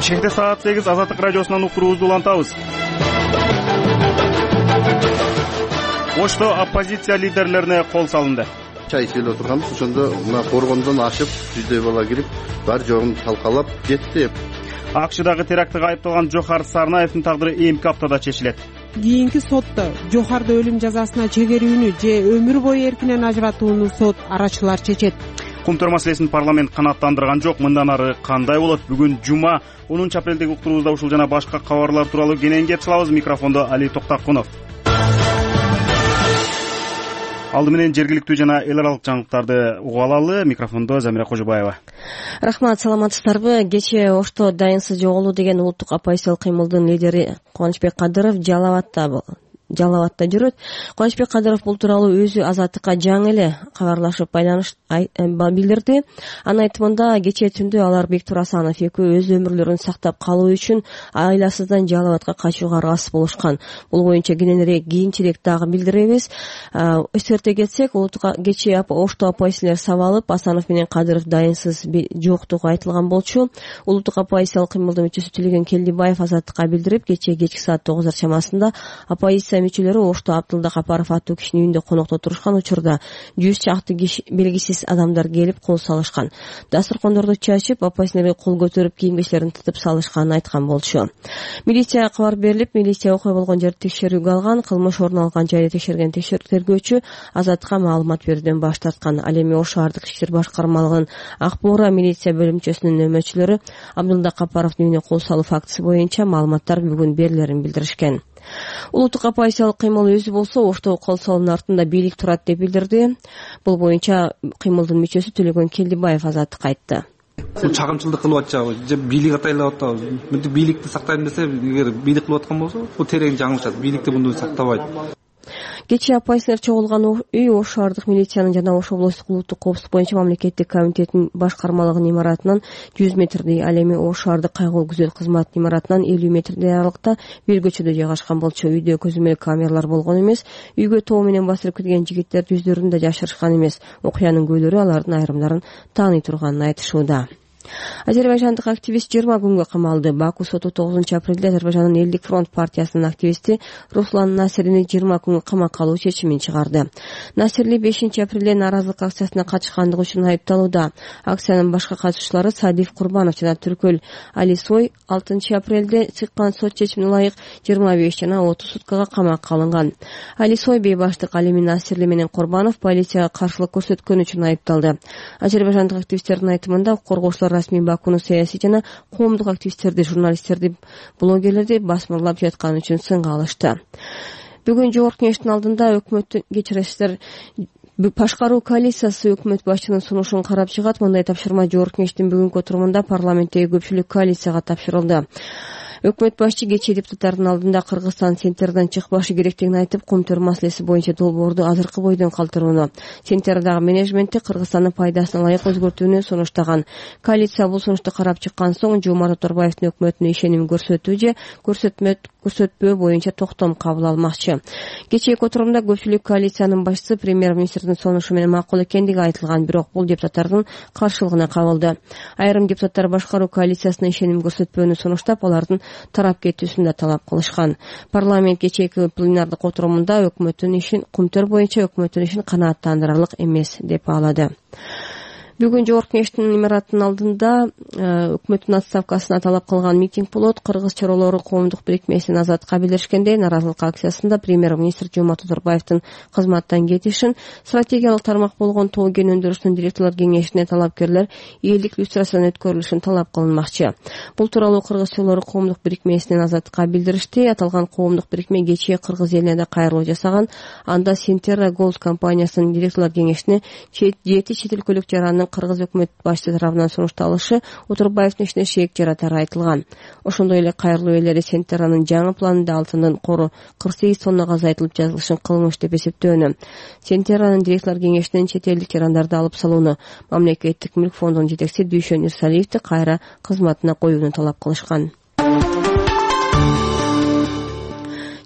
Бишкекте саат 8 Азаттык радиосунан уктуруубузду улантабыз. Ошто оппозиция лидерлерине кол салынды. Чай ичип отурганбыз, ошондо мына коргондон ашып жүздөй бала кирип, бар жогун талкалап кетти. АКШдагы терактыга айыпталган Жохар Сарнаевдин тагдыры эмки аптада чечилет. Кийинки сотто Жохарды өлүм жазасына чегерүүнү же өмүр бою эркинен ажыратууну сот арачылар чечет. Кумтөр маселесин парламент канааттандырган жок. Мындан ары кандай болот? Бүгүн жума 10 апрелдеги уктуруубузда ушул жана башка кабарлар тууралуу кенен кеп салабыз. Микрофондо Али Токтакунов. Алды менен жергиликтүү жана эл аралык жаңылыктарды угуп алалы. Микрофондо Замира Кожобаева. Рахмат, саламатсыздарбы? Кечээ Ошто дайынсыз жоголуу деген улуттук оппозициялык кыймылдын лидери Кубанычбек Кадыров Жалалатта жүрөт. Кубанычбек Кадыров бул тууралуу өзү Азаттыкка жаңы эле кабарлашып билдирди. Анын айтымында кечээ түндө алар Бектур Асанов экөө өз өмүрлөрүн сактап калуу үчүн айласыздан Жалалатка качууга аргасыз болушкан. Бул боюнча кийинчерээк дагы билдиребиз. Эсерте кетсек, кечээ Ошто оппозициялар сабалып, Асанов менен Кадыров дайынсыз жоктугу айтылган болчу. Улуттук оппозициялык кыймылдын мүчөсү Төлөгөн Келдибаев Азаттыкка билдирип, кечки саат 9 чамасында оппозиция мүчөлөрү Ошто Абдылда Капаров аттуу кишинин үйүндө конокто турушкан учурда 100 чакты белгисиз адамдар келип кол салышкан. Дасторкондорду чачып, оппозицияларга кол көтөрүп, кийим-кечтерин тытып салышканын айткан болчу. Милицияга кабар берилип, милиция окуя болгон жерди текшерүүгө алган. Кылмыш орун алган жайды текшерген тергөөчү Азаттыкка маалымат берүүдөн баш тарткан. Ал эми Ош шаардык ички иштер башкармалыгынын Ак Буура милиция бөлүмчөсүнүн нөмөчүлөрү Абдылда Капаровдун үйүнө кол салуу фактысы боюнча маалыматтар бүгүн берилерин билдиришкен. Улуттук оппозициялык кыймыл өзү болсо Ошто кол салуунун артында бийлик турат деп билдирди. Бул боюнча кыймылдын мүчөсү Төлөгөн Келдибаев Азаттыкка айтты. Бул чагымчылдык кылып атчабы же бийлик атайлап атабы? Мынтип бийликти сактайм десе, эгер бийлик кылып аткан болсо, бул терең жаңылышат. Бийликти мындай сактабайт. Кечээ оппозициялар чогулган үй Ош шаардык милициянын жана Ош облустук улуттук коопсуздук боюнча мамлекеттик комитеттин башкармалыгынын имаратынан 100 метрдей, ал эми Ош шаардык кайгылуу күзөт кызматынын имаратынан 50 метрдей аралыкта бир көчөдө жайгашкан болчу. Үйдө көзөмөл камералар болгон эмес. Үйгө тоо менен басып кирген жигиттер жүздөрүн да жашырышкан эмес. Окуянын куүлөрү алардын айрымдарын тааный турганын айтышууда. Азербайжандык активист 20 күнгө камалды. Баку соту 9 апрелде Азербайжандын Элдик фронт партиясынын активисти Руслан Насирини 20 күнгө камакка алуу чечимин чыгарды. Насирли 5 апрелде нааразылык акциясына катышкандыгы үчүн айыпталууда. Акциянын башка катышуучулары Садиф Курбанов жана Түркөл Алисой 6 апрелде чыккан сот чечимине ылайык 25 жана 30 суткага камакка алынган. Алисой бейбаштык, ал эми Насирли менен Курбанов полицияга каршылык көрсөткөн үчүн айыпталды. Азербайжандык активисттердин айтымында коргоочулар расмий Бакуну саясий жана коомдук активисттерди, журналисттерди, блогерлерди басмырлап жатканы үчүн сынга алышты. Бүгүн Жогорку Кеңештин алдында өкмөттүн кечиресиздер башкаруу коалициясы өкмөт башчынын сунушун карап чыгат. Мындай тапшырма Жогорку Кеңештин бүгүнкү отурумунда парламенттеги көпчүлүк коалицияга тапшырылды. Өкмөт башчы кечээ депутаттардын алдында Кыргызстан Сентерден чыкпашы керектигин айтып, Кумтөр маселеси боюнча долбоорду азыркы бойдон калтырууну, Сентердагы менеджментти Кыргызстандын пайдасына ылайык өзгөртүүнү сунуштаган. Коалиция бул сунушту карап чыккан соң Жомарт Оторбаевдин өкмөтүнө ишеним көрсөтүү же көрсөтпөө боюнча токтом кабыл алмакчы. Кечээки отурумда көпчүлүк коалициянын башчысы премьер-министрдин сунушу менен макул экендиги айтылган, бирок бул депутаттардын каршылыгына кабылды. Айрым депутаттар башкаруу коалициясына ишеним көрсөтпөөнү сунуштап, алардын тарап кетүүсүн да талап кылышкан. Парламент кечээки пленардык отурумунда Кумтөр боюнча өкмөттүн ишин канааттандырарлык эмес деп баалады. Бүгүн Жогорку Кеңештин имаратынын алдында өкмөттүн отставкасына талап кылган митинг болот. Кыргыз чоролору коомдук бирикмесинин Азаттыкка билдиришкендей, нааразылык акциясында премьер-министр Жомарт Оторбаевдин кызматтан кетишин, стратегиялык тармак болгон тоо кен өндүрүшүнүн директорлор кеңешине талапкерлер элдик люстрациядан өткөрүлүшүн талап кылынмакчы. Бул тууралуу Кыргыз чоролору коомдук бирикмесинин Азаттыкка билдиришти. Аталган коомдук бирикме кечээ Кыргыз элине да кайрылуу жасаган. Анда Синтерра Голд компаниясынын директорлор кеңешине 7 чет өлкөлүк жарандын Кыргыз өкмөт башчысы тарабынан сунушталышы Оторбаевдин ишине шеек жаратары айтылган. Ошондой эле кайрылуу ээлери Сентерранын жаңы планында алтындын кору 48 тоннага азайтылып жазылышын кылмыш деп эсептөөнү. Сентерранын директорлор кеңешинен чет элдик жарандарды алып салууну, мамлекеттик мүлк фондунун жетекчиси Дүйшөн Ирсалиевди кайра кызматына коюуну талап кылышкан.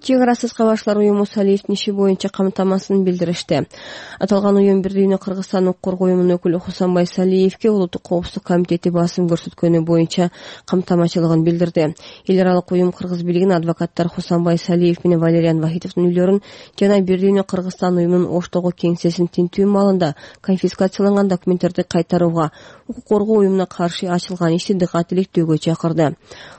Чек арасыз кабарчылар уюму Салиевдин иши боюнча камтамасын билдиришти. Аталган уюм бир дүйнө Кыргызстан укук коргоо уюмунун өкүлү Хусанбай Салиевге улуттук коопсуздук комитети басым көрсөткөнү боюнча камтамачылыгын билдирди. Эл аралык уюм кыргыз бийлигинин адвокаттары Хусанбай Салиев менен Валериан Вахитовдун үйлөрүн жана бир дүйнө Кыргызстан уюмунун Оштогу кеңсесин тинтүү маалында конфискацияланган документтерди кайтарууга, укук коргоо уюмуна каршы ачылган ишти дыкат иликтөөгө чакырды.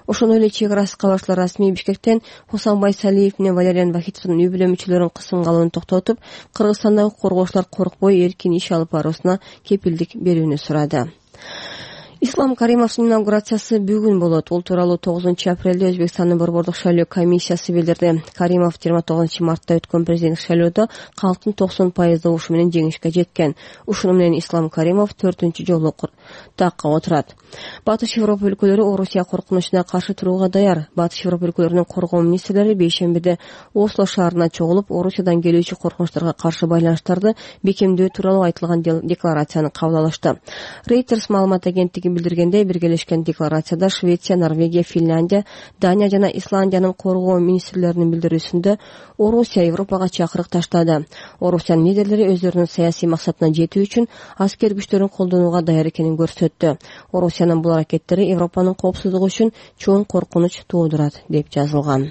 Ошондой эле чек арасыз кабарчылар расмий Бишкектен Хусанбай Салиев менен Валериан Вахитовдун үй бүлө мүчөлөрүнүн кысымга алууну токтотуп, Кыргызстандагы коргоочулар коркпой эркин иш алып баруусуна кепилдик берүүнү сурады. Ислам Каримовдун инаугурациясы бүгүн болот. Бул тууралуу 9-апрелде Өзбекстандын борбордук шайлоо комиссиясы билдирди. Каримов 29-мартта өткөн президенттик шайлоодо калктын 90% добушу менен жеңишке жеткен. Ушуну менен Ислам Каримов 4-жолу такка отурат. Батыш Европа өлкөлөрү Орусия коркунучуна каршы турууга даяр. Батыш Европа өлкөлөрүнүн коргоо министрлери бейшембиде Осло шаарына чогулуп, Орусиядан келүүчү коркунучтарга каршы байланыштарды бекемдөө тууралуу айтылган декларацияны кабыл алышты. Reuters маалымат агенттиги билдиргендей, биргелешкен декларацияда Швеция, Норвегия, Финляндия, Дания жана Исландиянын коргоо министрлеринин билдирүүсүндө Орусия Европага чакырык таштады. Орусиянын лидерлери өздөрүнүн саясий максатына жетүү үчүн аскер күчтөрүн колдонууга даяр экенин көрсөттү. Орусиянын бул аракеттери Европанын коопсуздугу үчүн чоң коркунуч туудурат деп жазылган.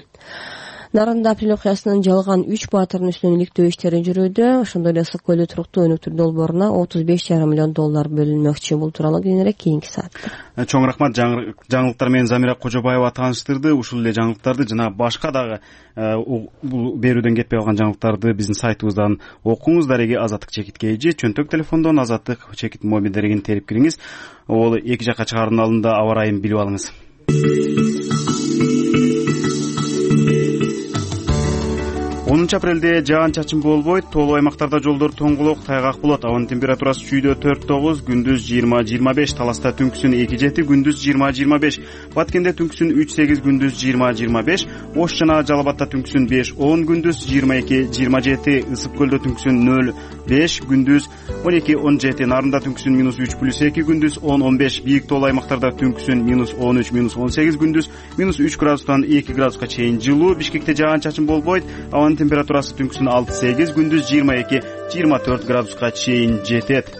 Нарында апрель окуясынын жалган 3 баатырдын үстүнөн иликтөө иштери жүрүүдө. Ошондой эле Ысык көлдө туруктуу өнүктүрүү долборуна $35,5 миллион бөлүнмөкчү. Бул тууралуу кийинирээк кийинки саатта. Чоң рахмат. Жаңылыктар менен Замира Кожобаева тааныштырды. Ушул эле жаңылыктарды жана башка дагы бул берүүдөн кетпей калган жаңылыктарды биздин сайтыбыздан окуңуз. Дареги Азаттык чекит KG, чөнтөк телефондон Азаттык чекит мобил дарегин терип кириңиз. Ол эки жакка чыгаардын алдында аба ырайын билип алыңыз. Апрелде жаан-чачын болбойт, тоолуу аймактарда жолдор тоңголок, тайгак болот. Абанын температурасы чүйдө 4-9, күндүз 20-25, Таласта түнкүсүн 2-7, күндүз 20-25, Баткенде түнкүсүн 3-8, күндүз 20-25, Ош жана Жалал-Абадта түнкүсүн 5-10, күндүз 22-27, Ысык көлдө түнкүсүн 0-5, күндүз 12-17, Нарында түнкүсүн -3+2, күндүз 10-15, Бийик тоолуу аймактарда түнкүсүн -13-18, күндүз -3 градустан 2 градуска чейин жылуу. Бишкекте жаан-чачын болбойт, абанын температурасы түнкүсүн 6-8, күндүз 22-24 градуска чейин жетет.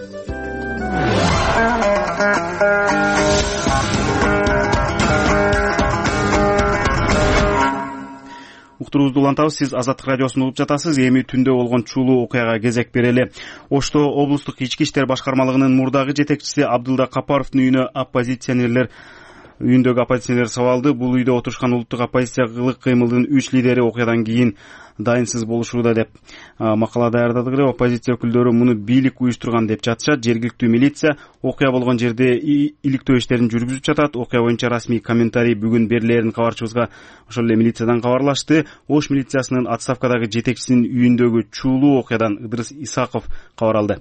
Уктуруубузду улантабыз. Сиз Азаттык радиосун угуп жатасыз. Эми түндө болгон чуулуу окуяга кезек берели. Ошто облустук ички иштер башкармалыгынын мурдагы жетекчиси Абдылда Капаровдун үйүндөгү оппозиционерлер сабалды. Бул үйдө отурушкан улуттук оппозициялык кыймылдын 3 лидери окуядан кийин дайынсыз болушууда деп макала даярдадык эле. Оппозиция өкүлдөрү муну бийлик уюштурган деп жатышат. Жергиликтүү милиция окуя болгон жерде иликтөө иштерин жүргүзүп жатат. Окуя боюнча расмий комментарий бүгүн берилерин кабарчыбызга ошол эле милициядан кабарлашты. Ош милициясынын отставкадагы жетекчисинин үйүндөгү чуулуу окуядан Ыдырыс Исаков кабар алды.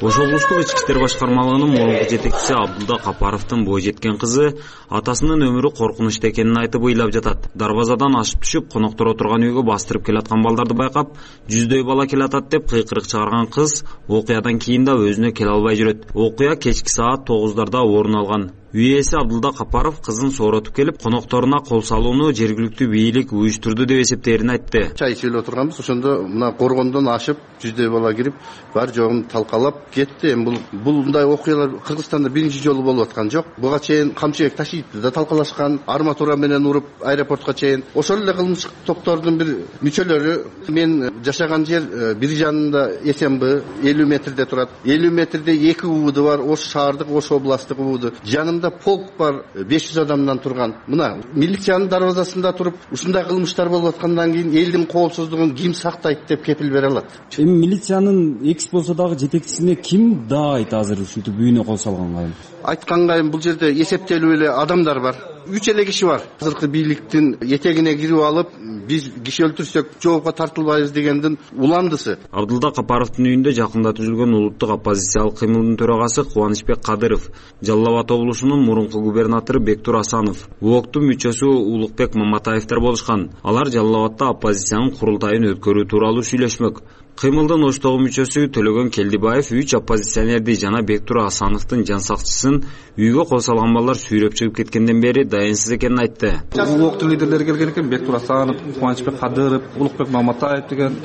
Ош облустук ички иштер башкармалыгынын мурунку жетекчиси Абдылда Капаровдун бой жеткен кызы атасынын өмүрү коркунучта экенин айтып ыйлап жатат. Дарбазадан ашып түшүп, коноктор отурган үйгө бастырып келаткан балдарды байкап, жүздөй бала келатат деп кыйкырык чыгарган кыз окуядан кийин да өзүнө келе албай жүрөт. Окуя кечки саат 9-дарда орун алган. Үй ээси Абдылда Капаров кызын сооротуп келип, конокторуна кол салууну жергиликтүү бийлик уюштурду деп эсептээрин айтты. Чай ичип отурганбыз, ошондо мына коргондон ашып, жүздөй бала кирип, бар жогун талкалап кетти. Эми бул мындай окуялар Кыргызстанда биринчи жолу болуп аткан жок. Буга чейин камчыбек Ташиевди да талкалашкан, арматура менен уруп аэропортко чейин. Ошол эле кылмыш топтордун бир мүчөлөрү. Мен жашаган жер бир жанында СМБ 50 метрде турат. 50 метрде 2 УВД бар, Ош шаардык, Ош областтык УВД. Полк бар 500 адамдан турган. Мына милициянын дарбазасында туруп, ушундай кылмыштар болуп аткандан кийин элдин коопсуздугун ким сактайт деп кепил бере алат? Эми милициянын экс болсо дагы жетекчисине ким даайт азыр ушинтип үйүнө кол салганга? Айтканга бул жерде эсептелүү эле адамдар бар. 3 эле киши бар. Азыркы бийликтин этегине кирип алып, биз киши өлтүрсөк жоопко тартылбайбыз дегендин уландысы. Абдылда Капаровдун үйүндө жакында түзүлгөн улуттук оппозициялык кыймылдын төрагасы Кубанычбек Кадыров, Жалал Абад облусунун мурунку губернатору Бектур Асанов, УОКтун мүчөсү Улукбек Маматаевдер болушкан. Алар Жалал Абадда оппозициянын курултайын өткөрүү тууралуу сүйлөшмөк. Кыймылдын оштогу мүчөсү Төлөгөн Келдибаев 3 оппозиционерди жана Бектур Асановдун жан сакчысын үйгө кол салган балдар сүйрөп чыгып кеткенден бери дайынсыз экенин айтты. УОКтун лидерлери келген экен, Бектур Асанов, Кубанычбек Кадыров, Улукбек Маматаев деген.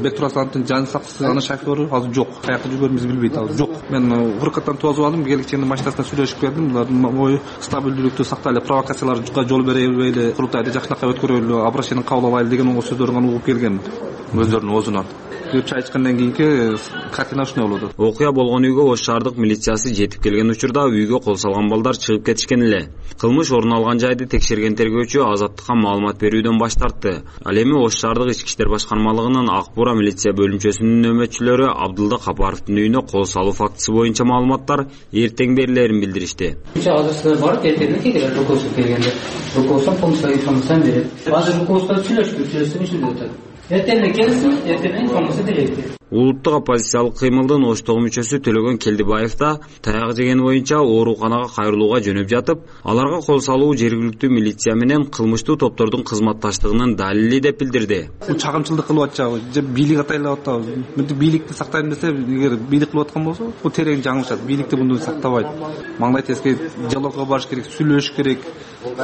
Бектур Асановдун жан сакчысы, анын шофёру азыр жок. Каякта жүргөнүбүздү билбейт азыр жок. Мен урукаттан тосуп алдым, келгиченин машинасына сүйлөшүп бердим. Булардын ою стабилдүүлүктү сактайлы, провокацияларга жол бербейли, курултайды жакшынакай өткөрөлү, обращение кабыл алайлы деген сөздөрүн угуп келгем өздөрүнүн оозунан. Чай ичкенен кийинки картина ушундай болду. Окуя болгон үйгө Ош шаардык милициясы жетип келген учурда үйгө кол салган балдар чыгып кетишкен эле. Кылмыш орун алган жайды текшерген тергөөчү Азаттыкка маалымат берүүдөн баш тартты. Ал эми Ош шаардык ички иштер башкармалыгынын Ак Бура милиция бөлүмчөсүнүн нөөмөтчүлөрү Абдылда Капаровдун үйүнө кол салуу фактысы боюнча маалыматтар эртең берилерин билдиришти. Азыр силер барып эртең келет, руководство келгенде. Руководство полностью информацияны берет. Азыр руководство сүйлөшүп ишинде өтөт. Эртең келсин, эртең информация берет. Улуттук оппозициялык кыймылдын оштогу мүчөсү Төлөгөн Келдибаев да таяк жеген боюнча ооруканага кайрылууга жөнөп жатып, аларга кол салуу жергиликтүү милиция менен кылмыштуу топтордун кызматташтыгынын далили деп билдирди. Бул чагымчылдык кылып атчабы, же бийлик атайлап атабы. Мынтип бийликти сактайм десе, эгер бийлик кылып аткан болсо, бул терең жаңылышат. Бийликти мындай сактабайт. Маңдай теске диалогко барыш керек, сүйлөшүш керек.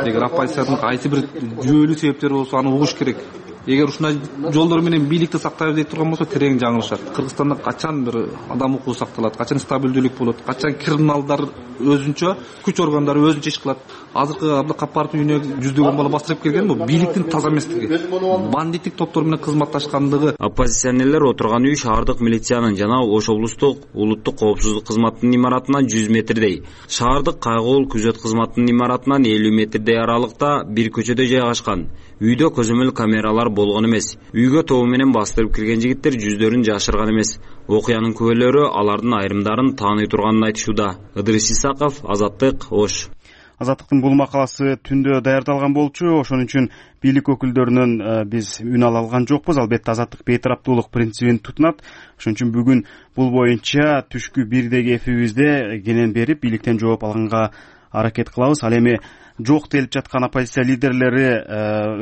Эгер оппозициянын кайсы бир жүйөлүү себептери болсо, аны угуш керек. Эгер ушундай жолдор менен бийликти сактайбыз деп турган болсо, терең жаңылышат. Кыргызстанда качан бир адам укугу сакталат, качан стабилдүүлүк болот, качан криминалдар өзүнчө, күч органдары өзүнчө иш кылат. Азыркы Абдылда Капаровдун үйүнө жүздөгөн бала бастырып келген бул бийликтин таза эместиги, бандиттик топтор менен кызматташкандыгы. Оппозиционерлер отурган үй шаардык милициянын жана Ош облустук улуттук коопсуздук кызматынын имаратынан 100 метрдей, шаардык кайгылуу күзөт кызматынын имаратынан 50 метрдей аралыкта бир көчөдө жайгашкан. Үйдө көзөмөл камералар болгон эмес. Үйгө тобу менен бастырып кирген жигиттер жүздөрүн жашырган эмес. Окуянын күбөлөрү алардын айрымдарын тааный турганын айтышууда. Ыдырыс Исаков, Азаттык, Ош. Азаттыктын бул макаласы түндө даярдалган болчу, ошон үчүн бийлик өкүлдөрүнөн биз үн ала алган жокпуз. Албетте Азаттык бейтараптуулук принцибин тутунат. Ошон үчүн бүгүн бул боюнча түшкү 1деги эфибизде кенен берип бийликтен жооп алганга аракет кылабыз. Ал эми жок делип жаткан оппозиция лидерлери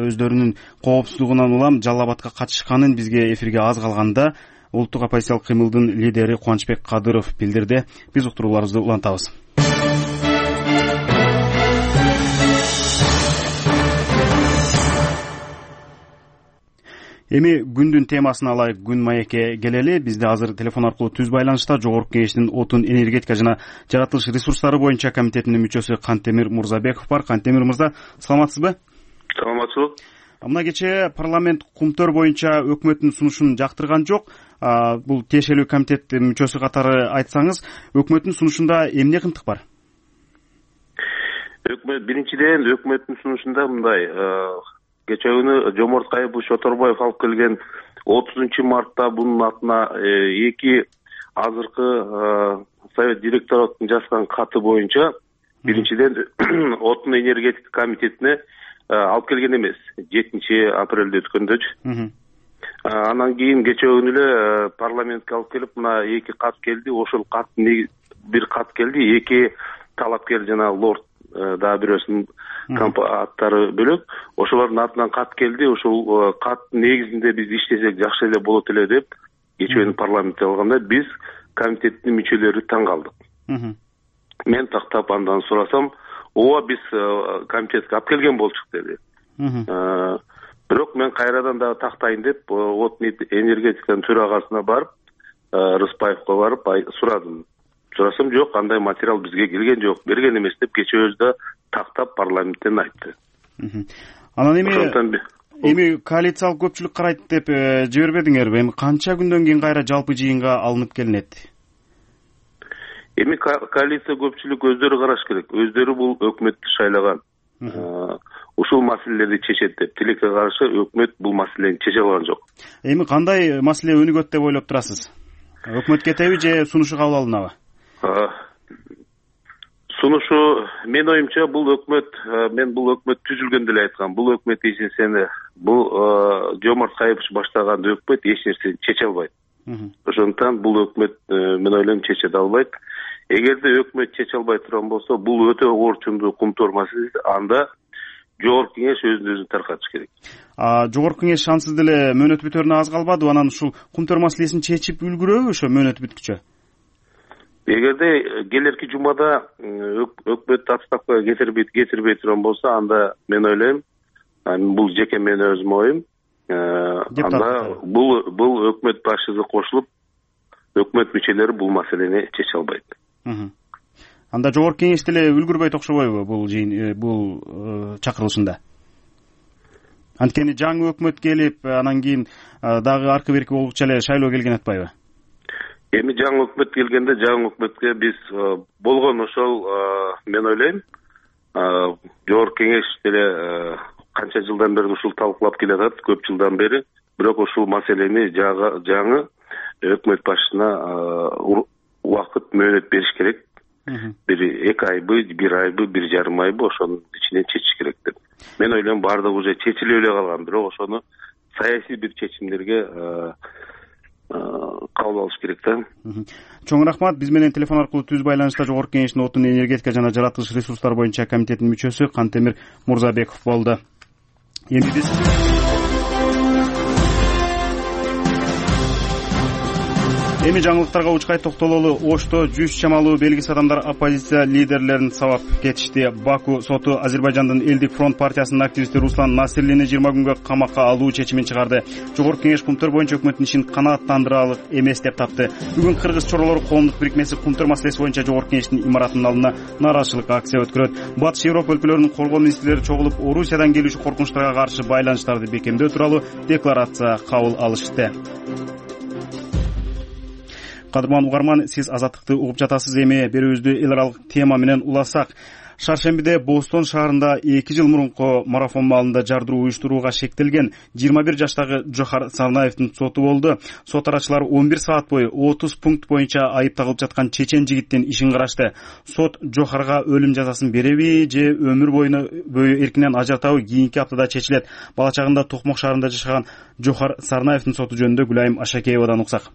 өздөрүнүн коопсуздугунан улам Жалал Абадка катышканын бизге эфирге аз калганда улуттук оппозициялык кыймылдын лидери Кубанычбек Кадыров билдирди. Биз уктурууларыбызды улантабыз. Эми күндүн темасын алайык. Күн маекке келели. Бизде азыр телефон аркылуу түз байланышта Жогорку Кеңештин отун, энергетика жана жаратылыш ресурстары боюнча комитетинин мүчөсү Кантемир Мурзабеков бар. Кантемир мырза, саламатсызбы? Саламатчылык. Мына кечээ парламент кумтөр боюнча өкмөттүн сунушун жактырган жок. Бул тиешелүү комитеттин мүчөсү катары айтсаңыз, өкмөттүн сунушунда эмне кымтык бар? Биринчиден өкмөттүн сунушунда мындай, кечээ күнү Жоморт Кайыпов Шоторбаев алып келген 30 мартта бунун атына эки азыркы совет директоратынын жазган каты боюнча биринчиден отун энергетика комитетине алып келген эмес. 7 апрелде өткөндөчү. Анан кийин кечээ күнү эле парламентке алып келип, мына эки кат келди. Ошол каттын бир кат келди, эки талапкер жана лорд дагы бирөөсүнүн аттары бөлөк. Ошолордун атынан кат келди. Ошол каттын негизинде биз иштесек жакшы эле болот эле деп кечээ күнү парламентте алганда биз комитеттин мүчөлөрү таң калдык. Мен тактап андан сурасам, ооба биз комитетке алып келген болчук деди. Бирок мен кайрадан дагы тактайын деп отун энергетиканын төрагасына барып, Рыспаевго барып сурадым. Сурасам, жок, андай материал бизге келген жок, берген эмес деп кечээ өзү тактап парламенттен айтты. Анан эми коалициялык көпчүлүк карайт деп жибербедиңерби? Эми канча күндөн кийин кайра жалпы жыйынга алынып келинет? Эми коалиция көпчүлүк өздөрү караш керек. Өздөрү бул өкмөттү шайлаган. Ушул маселелерди чечет деп, тилекке каршы өкмөт бул маселени чече алган жок. Эми кандай маселе өнүгөт деп ойлоп турасыз? Өкмөт кетеби же сунушу кабыл алынабы? сунушу менин оюмча бул өкмөт, мен бул өкмөт түзүлгөндө эле айткам, бул өкмөт эч нерсени, бул Жомарт Кайыпович баштаган өкмөт эч нерсени чече албайт. Ошондуктан бул өкмөт мен ойлойм чече да албайт. Эгерде өкмөт чече албай турган болсо, бул өтө оор чуңдуу кумтор маселе, анда Жогорку Кеңеш өзүн таркатыш керек. Жогорку Кеңеш ансыз деле мөөнөтү бүтөрүнө аз калбадыбы? Анан ушул кумтор маселесин чечип үлгүрөбү ошо мөөнөтү бүткүчө? Эгерде келерки жумада өкмөт отставкага кетирбей турган болсо, анда мен ойлойм, бул жеке менин өзүмдүн оюм, анда бул өкмөт башчысы кошулуп, өкмөт мүчөлөрү бул маселени чече албайт. Анда Жогорку Кеңеш деле үлгүрбөйт окшобойбу бул чакырылышында? Анткени жаңы өкмөт келип, анан кийин дагы аркы берки болгучу эле шайлоо келген атпайбы? Эми жаңы өкмөт келгенде, жаңы өкмөткө биз болгон ошол, мен ойлойм, Жогорку Кеңеш деле канча жылдан бери ушул талкуулап келатат, көп жылдан бери, бирок ушул маселени жаңы өкмөт башчысына убакыт мөөнөт бериш керек. Бир 2 айбы, 1 айбы, 1,5 айбы ошонун ичинен чечиш керек деп. Мен ойлойм баардыгы уже чечилип эле калган, бирок ошону саясий бир чечимдерге кабыл алыш керек да. Чоң рахмат. Биз менен телефон аркылуу түз байланышта Жогорку Кеңештин отун, энергетика жана жаратылыш ресурстары боюнча комитетинин мүчөсү Кантемир Мурзабеков болду. Эми биз жаңылыктарга учкай токтололу. Ошто 100 чамалуу белгисиз адамдар оппозиция лидерлерин сабап кетишти. Баку соту Азербайжандын Элдик фронт партиясынын активисти Руслан Насирлини 20 күнгө камакка алуу чечимин чыгарды. Жогорку Кеңеш кумтөр боюнча өкмөттүн ишин канааттандырарлык эмес деп тапты. Бүгүн Кыргыз чоролору коомдук бирикмеси кумтөр маселеси боюнча Жогорку Кеңештин имаратынын алдына нааразычылык акция өткөрөт. Батыш Европа өлкөлөрүнүн коргоо министрлери чогулуп, Орусиядан келүүчү коркунучтарга каршы байланыштарды бекемдөө тууралуу декларация кабыл алышты. Кадырман угарман, сиз Азаттыкты угуп жатасыз. Эми берүүбүздү эл аралык тема менен уласак. Шаршембиде Бостон шаарында 2 жыл мурунку марафон маалында жардыруу уюштурууга шектелген 21 жаштагы Жохар Сарнаевдин соту болду. Сот арачылары 11 саат бою 30 пункт боюнча айып тагылып жаткан чечен жигиттин ишин карашты. Сот Жохарга өлүм жазасын береби же өмүр бою эркинен ажыратабы кийинки аптада чечилет. Бала чагында Токмок шаарында жашаган Жохар Сарнаевдин соту жөнүндө Гүлайым Ашакеевадан уксак.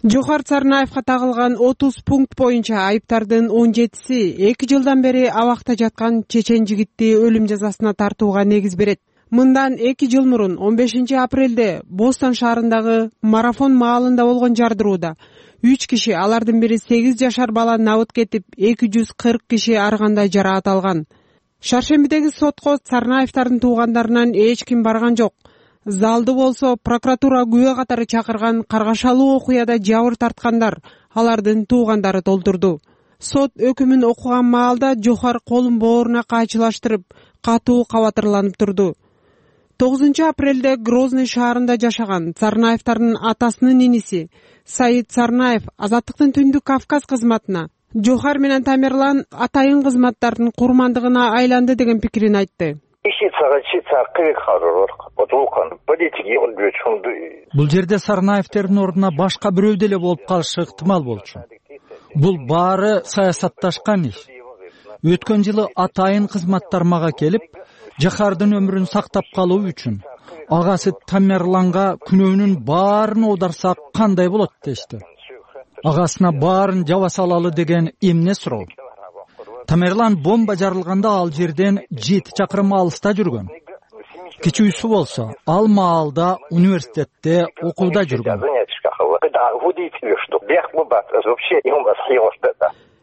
Жохар Сарнаевга тагылган 30 пункт боюнча айыптардын 17си 2 жылдан бери абакта жаткан чечен жигитти өлүм жазасына тартууга негиз берет. Мындан 2 жыл мурун 15 апрелде Бостон шаарындагы марафон маалында болгон жардырууда 3 киши, алардын бири 8 жашар бала набыт кетип, 240 киши ар кандай жараат алган. Шаршембидеги сотко Сарнаевдардын туугандарынан эч ким барган жок. Залды болсо прокуратура күбө катары чакырган каргашалуу окуяда жабыр тарткандар, алардын туугандары толтурду. Сот өкүмүн окуган маалда Жохар колун бооруна кайчылаштырып, катуу кабатырланып турду. 9 апрелде Грозный шаарында жашаган Сарнаевдардын атасынын иниси Саид Сарнаев Азаттыктын Түндүк Кавказ кызматына Жохар менен Тамерлан атайын кызматтардын курмандыгына айланды деген пикирин айтты. Бул жерде Сарнаевдердин ордуна башка бирөө деле болуп калышы ыктымал болчу. Бул баары саясатташкан иш. Өткөн жылы атайын кызматтар мага келип, Жохардын өмүрүн сактап калуу үчүн агасы Тамерланга күнөөнүн баарын аударсак кандай болот дешти. Агасына баарын жаба салалы деген эмне суроо. Тамерлан бомба жарылганда ал жерден 7 чакырым алыста жүргөн. Кичүүсү болсо, ал маалда университетте окууда жүргөн.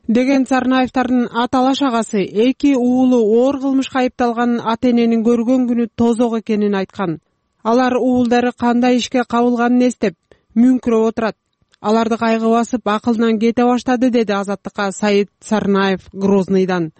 Деген Сарнаевдардын аталаш агасы 2 уулу оор кылмышка айыпталган ата-эненин көргөн күнү тозок экенин айткан. Алар уулдары кандай ишке кабылганын эстеп, мүңкүрөп отурат. Аларды кайгы басып, акылдан кете баштады, деди Азаттыкка Саид Сарнаев Грознойдан.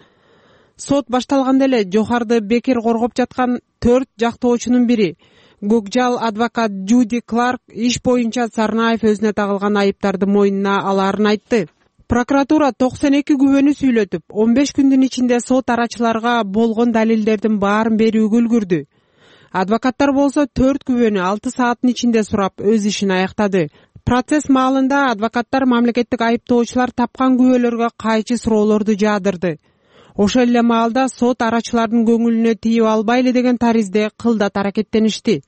Сот башталганда эле Жохарды бекер коргоп жаткан 4 жактоочунун бири, Гокжал адвокат Джуди Кларк, иш боюнча Сарнаев өзүнө тагылган айыптарды мойнуна алаарын айтты. Прокуратура 92 күбөнү сүйлөтүп, 15 күндүн ичинде сот арачыларга болгон далилдердин баарын берүүгө үлгүрдү. Адвокаттар болсо 4 күбөнү 6 сааттын ичинде сурап, өз ишин аяктады. Процесс маалында адвокаттар мамлекеттик айыптоочулар тапкан күбөлөргө кайчы суроолорду жаадырды. Ошол эле маалда сот арачылардын көңүлүнө тийип албайлы деген таризде кылдат аракеттеништи.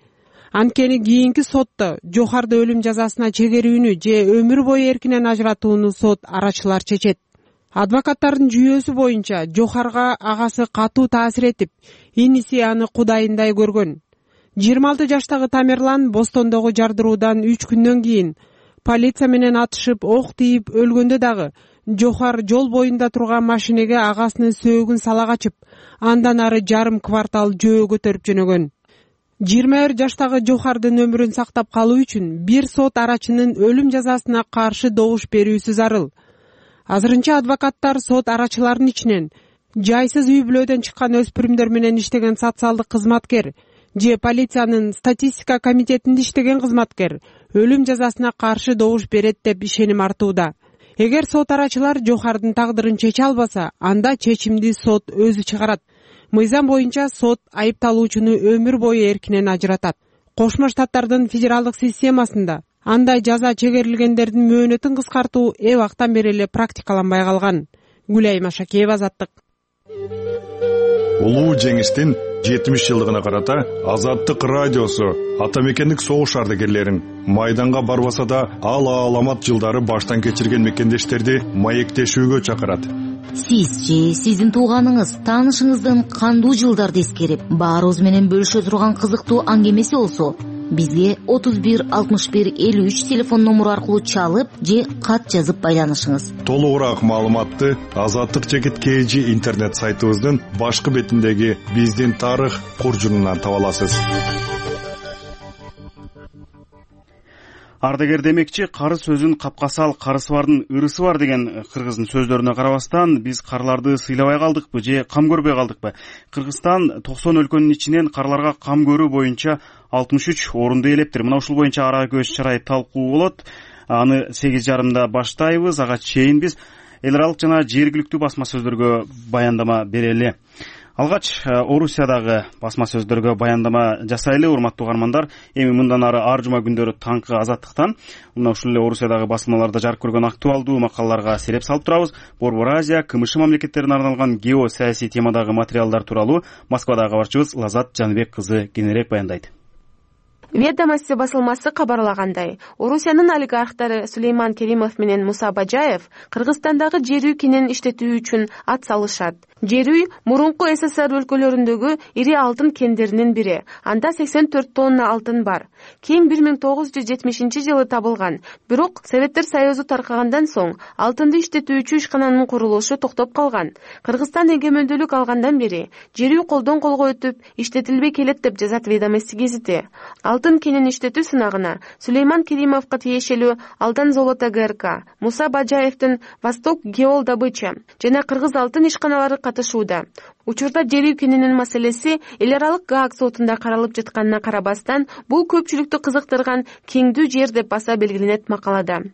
Анткени кийинки сотто Жохарды өлүм жазасына чегерүүнү же өмүр бою эркинен ажыратууну сот арачылар чечет. Адвокаттардын жүйөөсү боюнча Жохарга агасы катуу таасир этип, иниси аны кудайындай көргөн. 26 жаштагы Тамерлан Бостондогу жардыруудан 3 күндөн кийин полиция менен атышып, ок тийип өлгөндө дагы Жохар жол боюнда турган машинеге агасынын сөөгүн сала качып, андан ары жарым квартал жөө көтөрүп жөнөгөн. 21 жаштагы Жохардын өмүрүн сактап калуу үчүн бир сот арачынын өлүм жазасына каршы добуш берүүсү зарыл. Азырынча адвокаттар сот арачыларынын ичинен жайсыз үй бүлөдөн чыккан өспүрүмдөр менен иштеген социалдык кызматкер же полициянын статистика комитетинде иштеген кызматкер өлүм жазасына каршы добуш берет деп ишеним артууда. Эгер сот арачылар Жохардын тагдырын чече албаса, анда чечимди сот өзү чыгарат. Мыйзам боюнча сот айыпталуучуну өмүр бою эркинен ажыратат. Кошмо Штаттардын федералдык системасында андай жаза чегерилгендердин мөөнөтүн кыскартуу эбактан бери эле практикаланбай калган. Гүлайым Ашакеева, Азаттык. Улуу жеңиштин 70 жылдыгына карата Азаттык радиосу ата мекендик согуш ардагерлерин майданга барбаса да ал аламат жылдары баштан кечирген мекендештерди маектешүүгө чакырат. Сиз же сиздин тууганыңыз, таанышыңыздын кандуу жылдарды эскерип, баарыбыз менен бөлүшө турган кызыктуу аңгемеси болсо, бизге 31 61 53 телефон номуру аркылуу чалып же кат жазып байланышыңыз. Толугураак маалыматты Азаттык _KG интернет сайтыбыздын башкы бетиндеги биздин тарых куржунунан таба аласыз. Ардагер демекчи, кары сөзүн капкасы ал, карысы бардын ырысы бар деген кыргыздын сөздөрүнө карабастан, биз карларды сыйлабай калдыкпы же кам көрбөй калдыкпы? Кыргызстан 90 өлкөнүн ичинен карларга кам көрүү боюнча 63 орунду ээлептир. Мына ушул боюнча ара көз чарай талкуу болот. Аны 8:30 баштайбыз. Ага чейин биз эл аралык жана жергиликтүү басма сөздөргө баяндама берели. Алгач Орусиядагы басма сөздөргө баяндама жасайлы, урматтуу угармандар. Эми мындан ары ар жума күндөрү таңкы Азаттыктан мына ушул эле Орусиядагы басмаларда жарык көргөн актуалдуу макалаларга сереп салып турабыз. Борбор Азия, КМШ мамлекеттерине арналган геосаясий темадагы материалдар тууралуу Москвадагы кабарчыбыз Лазат Жаныбек кызы кененирээк баяндайт. Ведомости басылмасы кабарлагандай, Орусиянын олигархтары Сулейман Керимов менен Муса Бажаев Кыргызстандагы жер үй кенен иштетүү үчүн ат салышат. Жер үй мурунку СССР өлкөлөрүндөгү ири алтын кендеринин бири. Анда 84 тонна алтын бар. Кен 1970-жылы табылган. Бирок Советтер Союзу таркагандан соң алтынды иштетүүчү ишкананын курулушу токтоп калган. Кыргызстан эгемендүүлүк алгандан бери жер үй колдон колго өтүп, иштетилбей келет деп жазат Ведомости гезити. Алтын кенен иштетүү сынагына Сулейман Керимовго тиешелүү Алдан Золото ГРК, Муса Бажаевдин Восток Геол Добыча жана Кыргыз алтын ишканалары катышууда. Учурда жер үй кененин маселеси эл аралык Гааг сотунда каралып жатканына карабастан, бул көпчүлүктү кызыктырган кеңдүү жер деп баса белгиленет макалада.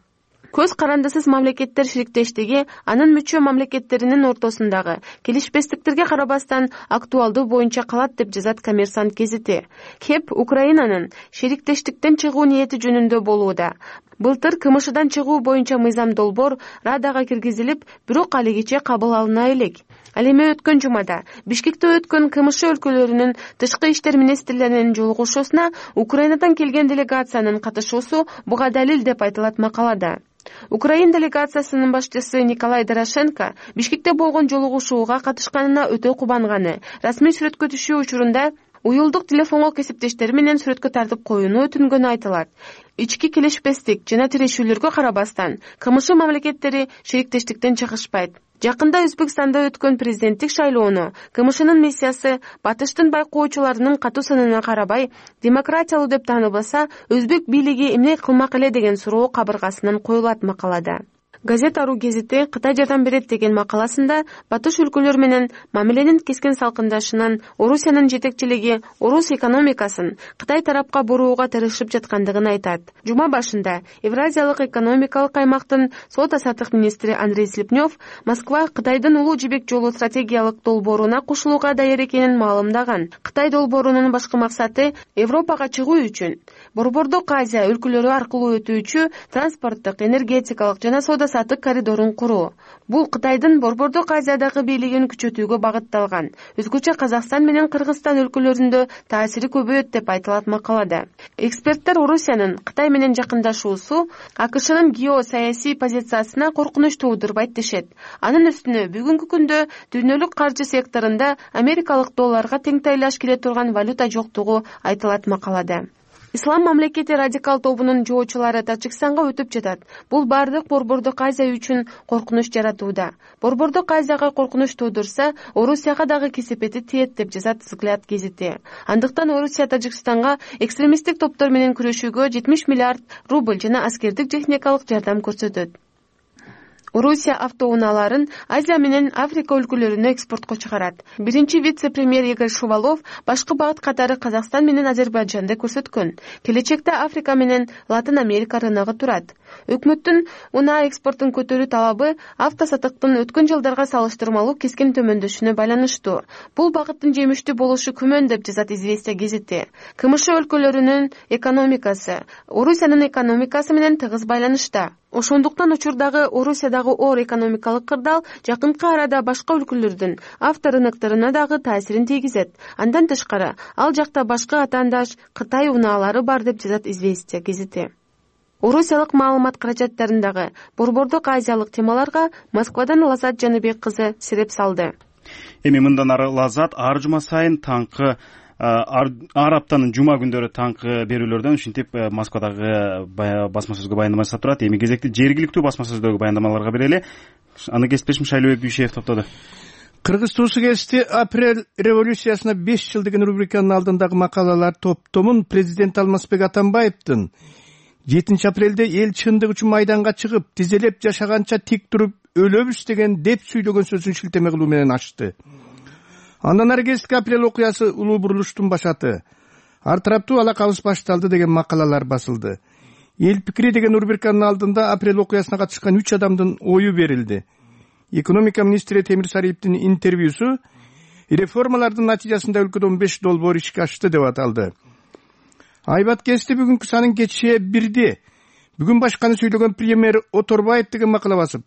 Көз карандысыз мамлекеттер шириктештиги анын мүчө мамлекеттеринин ортосундагы келишпестиктерге карабастан актуалдуу боюнча калат деп жазат Коммерсант гезити. КЕП Украинанын шериктештиктен чыгуу ниети жөнүндө болууда. Былтыр КМШдан чыгуу боюнча мыйзам долбоор Радага киргизилип, бирок алигиче кабыл алына элек. Ал эми өткөн жумада Бишкекте өткөн КМШ өлкөлөрүнүн тышкы иштер министрлеринин жолугушуусуна Украинадан келген делегациянын катышуусу буга далил деп айтылат макалада. Украин делегациясынын башчысы Николай Дорошенко Бишкекте болгон жолугушууга катышканына өтө кубанганы, расмий сүрөткө түшүү учурунда уюлдук телефонго кесиптештери менен сүрөткө тартып коюуну өтүнгөнү айтылат. Ички келишпестик жана тирешүүлөргө карабастан, КМШ мамлекеттери шериктештиктен чыгышпайт. Жакында Өзбекстанда өткөн президенттик шайлоону КМШнын миссиясы батыштын байкоочуларынын катуу санына карабай демократиялуу деп тааныбаса, өзбек бийлиги эмне кылмак эле деген суроо кабыргасынан коюлат макалада. Газета.ру гезити Кытай жардам берет деген макаласында батыш өлкөлөр менен мамиленин кескен салкындашынан Орусиянын жетекчилиги орус экономикасын Кытай тарапка бурууга тырышып жаткандыгын айтат. Жума башында Евразиялык экономикалык аймактын соода-саттык министри Андрей Слепнёв Москва Кытайдын улуу жибек жолу стратегиялык долбооруна кошулууга даяр экенин маалымдаган. Кытай долбоорунун башкы максаты Европага чыгуу үчүн Борбордук Азия өлкөлөрү аркылуу өтүүчү транспорттук, энергетикалык жана соода сааттык коридорун куруу. Бул Кытайдын Борбордук Азиядагы бийлигин күчөтүүгө багытталган. Өзгөчө Казакстан менен Кыргызстан өлкөлөрүндө таасири көбөйөт деп айтылат макалада. Эксперттер Орусиянын Кытай менен жакындашуусу АКШнын геосаясий позициясына коркунуч туудурбайт дешет. Анын үстүнө бүгүнкү күндө дүйнөлүк каржы секторунда америкалык долларга тең тайлаш келе турган валюта жоктугу айтылат макалада. Ислам мамлекети радикал тобунун жоочулары Тажикстанга өтүп жатат. Бул бардык Борбордук Азия үчүн коркунуч жаратууда. Борбордук Азияга коркунуч туудурса, Орусияга дагы кесепети тиет деп жазат Взгляд гезити. Андыктан Орусия Тажикстанга экстремисттик топтор менен күрөшүүгө 70 миллиард рубль жана аскердик техникалык жардам көрсөтөт. Орусия автоунааларын Азия менен Африка өлкөлөрүнө экспортко чыгарат. Биринчи вице-премьер Игорь Шувалов башкы багыт катары Казакстан менен Азербайджанды көрсөткөн. Келечекте Африка менен Латын Америка рыногу турат. Өкмөттүн унаа экспортун көтөрүү талабы автосатыктын өткөн жылдарга салыштырмалуу кескин төмөндөшүнө байланыштуу. Бул багыттын жемиштүү болушу күмөн деп жазат Известия гезити. КМШ өлкөлөрүнүн экономикасы Орусиянын экономикасы менен тыгыз байланышта. Ошондуктан учурдагы Орусиядагы оор экономикалык кырдаал жакынкы арада башка өлкөлөрдүн авторынокторуна дагы таасирин тийгизет. Андан тышкары, ал жакта башка атаандаш Кытай унаалары бар деп жазат Известия гезити. Орусиялык маалымат каражаттарындагы борбордук азиялык темаларга Москвадан Лазат Жаныбек кызы сереп салды. Эми мындан ары Лазат ар жума сайын таңкы ар аптанын жума күндөрү таңкы берүүлөрдөн ушинтип Москвадагы басма сөзгө баяндама жасап турат. Эми кезекти жергиликтүү басма сөздөгү баяндамаларга берели. Аны кесиптешим Шайлообек Дүйшеев топтоду. Кыргыз туусу кести апрель революциясына 5 жыл деген рубриканын алдындагы макалалар топтомун президент Алмазбек Атамбаевдин 7 апрелде эл чындык үчүн майданга чыгып, тизелеп жашаганча тик туруп өлөбүз деген деп сүйлөгөн сөзүн шилтеме кылуу менен ачты. Андан ары 2 апрель окуясы улуу бурулуштун башаты. Ар тараптуу алакабыз башталды деген макалалар басылды. Эл пикири деген рубриканын алдында апрель окуясына катышкан 3 адамдын ою берилди. Экономика министри Темир Сариевдин интервьюсу реформалардын натыйжасында өлкөдө 15 долбоор ишке ашты деп аталды. Айбат кести бүгүнкү санын кечээ 1-де. Бүгүн башканы сүйлөгөн премьер Оторбаев деген макала басып,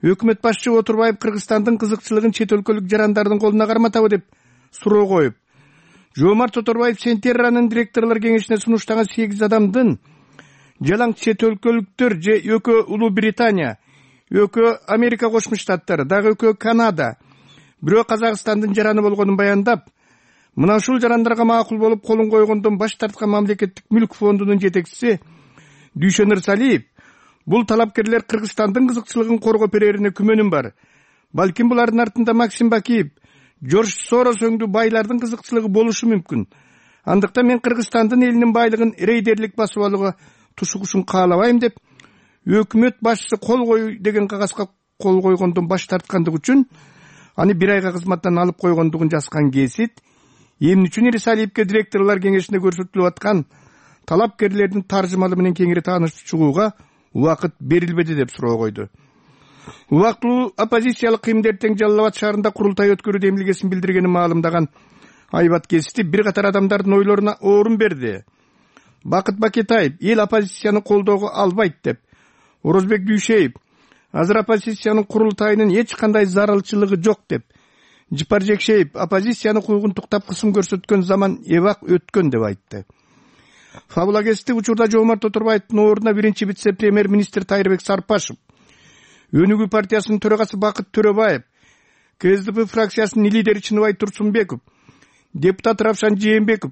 өкмөт башчы Оторбаев Кыргызстандын кызыкчылыгын чет өлкөлүк жарандардын колуна карматабы деп суроо коюп, Жоомарт Оторбаев Сентерранын директорлор кеңешине сунуштаган 8 адамдын жалаң чет өлкөлүктөр же экөө Улуу Британия, экөө Америка Кошмо Штаттары, дагы экөө Канада, бирөө Казакстандын жараны болгонун баяндап, мына ушул жарандарга макул болуп колун койгондон баш тарткан мамлекеттик мүлк фондунун жетекчиси Дүйшөнөр Салиев, бул талапкерлер Кыргызстандын кызыкчылыгын коргоо берерине күмөнүм бар. Балким булардын артында Максим Бакиев, Жорж Сорос өңдүү байлардын кызыкчылыгы болушу мүмкүн. Андыктан мен Кыргызстандын элинин байлыгын рейдерлик басып алууга тушугушун каалабайм деп өкмөт башчысы кол коюу деген кагазга кол койгондон баш тарткандык үчүн аны 1 айга кызматтан алып койгондугун жазган гезит эмне үчүн Салиевке директорлор кеңешинде көрсөтүлүп аткан талапкерлердин таржымалы менен кеңири таанышып чыгууга убакыт берилбеди деп суроо койду. Убактылуу оппозициялык кыймдер тең Жалал Абад шаарында курултай өткөрүүдө эмилгесин билдиргенин маалымдаган Айбат Кести бир катар адамдардын ойлоруна орун берди. Бакыт Бакетаев эл оппозицияны колдоого албайт деп, Орозбек Дүйшеев азыр оппозициянын курултайынын эч кандай зарылчылыгы жок деп, Жипар Жекшеев оппозицияны куйгунтуктап кысым көрсөткөн заман эбак өткөн деп айтты. Фабула Кести учурда Жоомарт Оторбаевдин ордуна биринчи вице-премьер министр Тайырбек Сарпашев, Өнүгүү партиясынын төрагасы Бакыт Төрөбаев, КСДП фракциясынын лидери Чыныбай Турсунбеков, депутат Равшан Жээнбеков,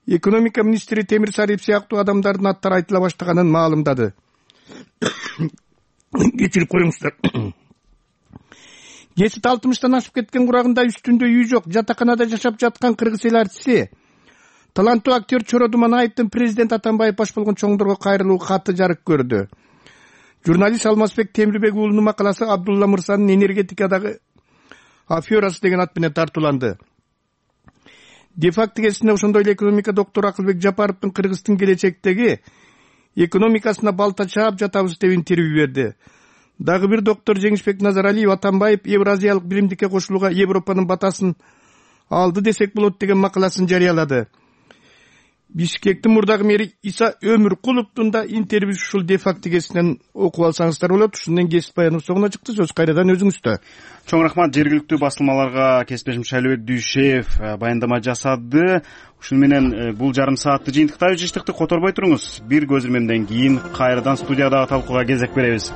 экономика министри Темир Сариев сыяктуу адамдардын аттары айтыла баштаганын маалымдады. Кечирип коюңуздар. Кесит 60-тан ашып кеткен курагында үстүндө үй жок, жатаканада жашап жаткан кыргыз эл артиси таланттуу актер Чоро Думанаевдин президент Атамбаев баш болгон чоңдорго кайрылуу каты жарык көрдү. Журналист Алмазбек Темирбек уулунун макаласы Абдулла Мырзанын энергетикадагы аферасы деген ат менен тартууланды. Дефакт кесине ошондой эле экономика доктору Акылбек Жапаровдун Кыргыздын келечектеги экономикасына балта чаап жатабыз деп интервью берди. Дагы бир доктор Жеңишбек Назаралиев Атамбаев Евразиялык биримдикке кошулууга Европанын батасын алды десек болот деген макаласын жарыялады. Бишкектин мурдагы мэри Иса Өмүркуловдун да интервьюсу ушул де-факто гезитинен окуп алсаңыздар болот. Ушундан кесип баянов соңуна чыкты. Сөз кайрадан өзүңүздө. Чоң рахмат. Жергиликтүү басылмаларга кесиптешим Шайлыбек Дүйшеев баяндама жасады. Ушуну менен бул жарым саатты жыйынтыктайбыз. Жыштыкты которбой туруңуз. Бир көз ирмемден кийин кайрадан студиядагы талкууга кезек беребиз.